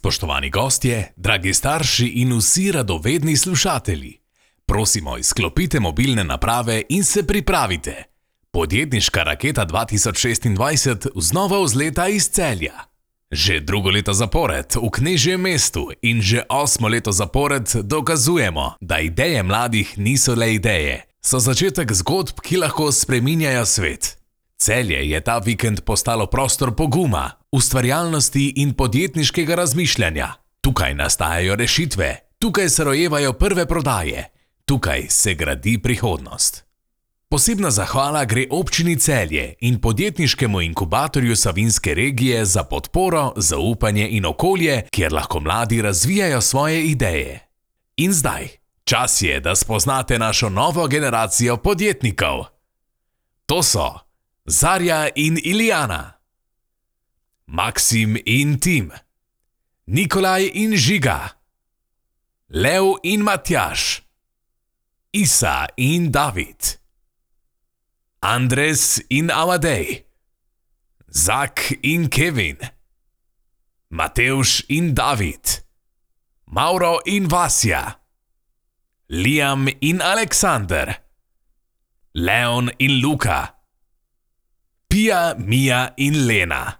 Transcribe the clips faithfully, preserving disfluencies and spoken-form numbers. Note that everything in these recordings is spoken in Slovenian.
Spoštovani gostje, dragi starši in vsi radovedni slušatelji, prosimo, izklopite mobilne naprave in se pripravite. Podjetniška raketa dva tisoč šestindvajset znova vzleta iz Celja. Že drugo leto zapored v knežjem mestu in že osmo leto zapored dokazujemo, da ideje mladih niso le ideje, so začetek zgodb, ki lahko spreminjajo svet. Celje je ta vikend postalo prostor poguma, ustvarjalnosti in podjetniškega razmišljanja. Tukaj nastajajo rešitve, tukaj se rojevajo prve prodaje, tukaj se gradi prihodnost. Posebna zahvala gre občini Celje in podjetniškemu inkubatorju Savinjske regije za podporo, zaupanje in okolje, kjer lahko mladi razvijajo svoje ideje. In zdaj, čas je, da spoznate našo novo generacijo podjetnikov. To so Zarja in Ilijana, Maksim in Tim, Nikolaj in Žiga, Lev in Matjaž, Isa in David, Andres in Amadej, Zak in Kevin, Matevž in David, Mauro in Vasja, Liam in Aleksander, Leon in Luka, Pija, Mija in Lena.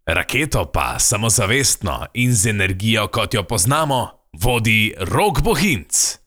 Raketo pa samozavestno in z energijo, kot jo poznamo, vodi Rok Bohinc.